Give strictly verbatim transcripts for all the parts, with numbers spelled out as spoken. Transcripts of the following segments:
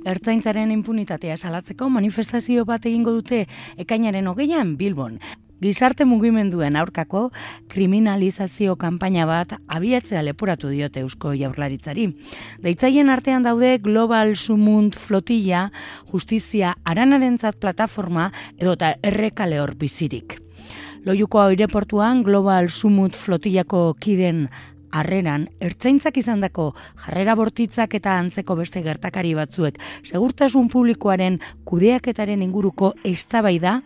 Ertzaintzaren inpunitatea salatzeko manifestazio bat egingo dute ekainaren hogeian Bilbon. Gizarte mugimenduen aurkako kriminalizazio kanpaina bat abiatzea leporatu diote Eusko Jaurlaritzari. Deitzaien artean daude Global Sumut Flotilla, Justizia Aranarentzat plataforma edota Errekale hor bizirik. Loiuko aireportuan Global Sumut Flotillako kiden harreran, ertzaintzak izandako jarrera bortitzak eta antzeko beste gertakari batzuek segurtasun publikoaren kudeaketaren inguruko eztabaida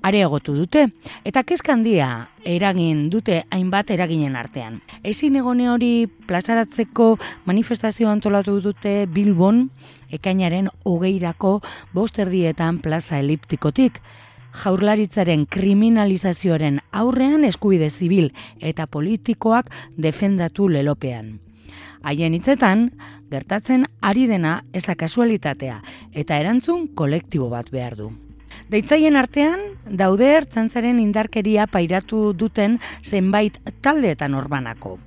areagotu dute, eta kezka handia eragin dute hainbat eraginen artean. Ezin egone hori plazaratzeko manifestazio antolatu dute Bilbon, ekainaren hogeirako bost erdietan plaza eliptikotik. Jaurlaritzaren kriminalizazioaren aurrean eskubide zibil eta politikoak defendatu lelopean. Haien hitzetan, gertatzen ari dena ez da kasualitatea eta erantzun kolektibo bat behar du. Deitzaien artean, daude ertzaintzaren indarkeria pairatu duten zenbait taldeetan orbanako.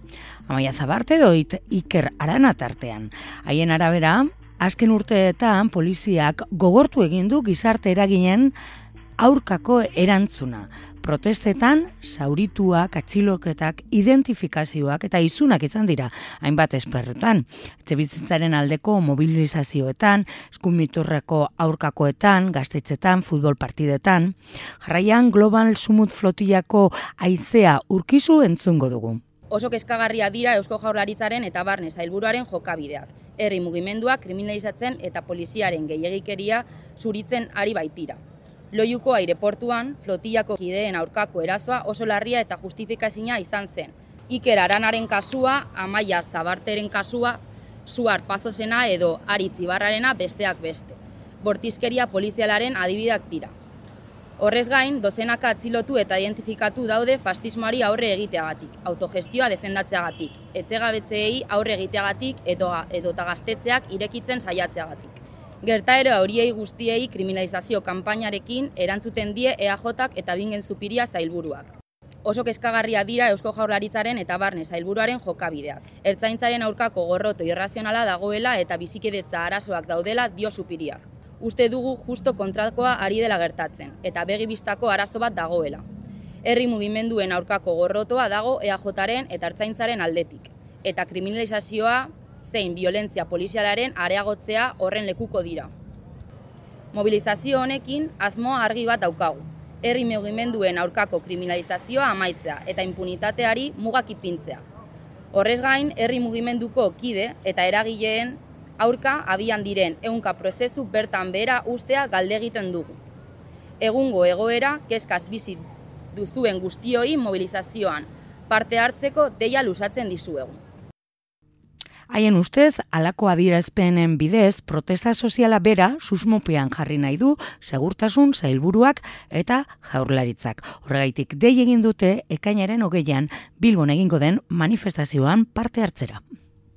Amaia Zabarte doit Iker Arana tartean. Haien arabera, azken urteetan poliziak gogortu egin du gizarte eraginen aurkako erantzuna. Protestetan, zaurituak, atxiloketak, identifikazioak eta izunak izan dira hainbat esperrutan. Etxebizitzaren aldeko mobilizazioetan, eskumiturreko aurkakoetan, gaztetxetan, futbol partidetan. Jarraian Global Sumut Flotillako haizea urkizu entzungo dugu. Oso kezkagarria dira Eusko Jaurlaritzaren eta Barne Sailburuaren jokabideak. Herri mugimenduak kriminalizatzen eta poliziaren gehiegikeria zuritzen ari baitira. Loiuko aireportuan, flotillako kideen aurkako erasoa oso larria eta justifikazina izan zen. Iker Aranaren kasua, Amaia Zabarteren kasua, Suart Pazosena edo Aritz Ibarrarena besteak beste. Bortizkeria polizialaren adibideak dira. Horrez gain, dozenaka atzilotu eta identifikatu daude fascismoari aurre egiteagatik, autogestioa defendatzeagatik, etxegabetzeei aurre egiteagatik edota gaztetxeak irekitzen saiatzeagatik. Gertaera horiei guztiei kriminalizazio kanpainarekin erantzuten die E A Jak eta Bingen Zupiria sailburuak. Oso kezkagarria dira Eusko Jaurlaritzaren eta Barne Sailburuaren jokabideak. Ertzaintzaren aurkako gorroto irrazionala dagoela eta bizikidetza arazoak daudela dio Zupiriak. Uste dugu justo kontrakoa ari dela gertatzen, eta begibistako arazo bat dagoela. Herri mugimenduen aurkako gorrotoa dago E A Jaren eta Ertzaintzaren aldetik, eta kriminalizazioa zein violentzia polizialaren areagotzea horren lekuko dira. Mobilizazio honekin asmoa argi bat daukagu. Herri mugimenduen aurkako kriminalizazioa amaitzea eta impunitateari mugak ipintzea. Horrez gain, herri mugimenduko kide eta eragileen aurka abian diren ehunka prozesu bertan behera ustea galde egiten dugu. Egungo egoera kezkaz bizi duzuen guztioi mobilizazioan parte hartzeko deia luzatzen dizuegu. Haien ustez, halako adierazpenen bidez, protesta soziala bera susmopean jarri nahi du segurtasun sailburuak eta Jaurlaritzak. Horregaitik dei egin dute ekainaren hogeian Bilbon egingo den manifestazioan parte hartzera.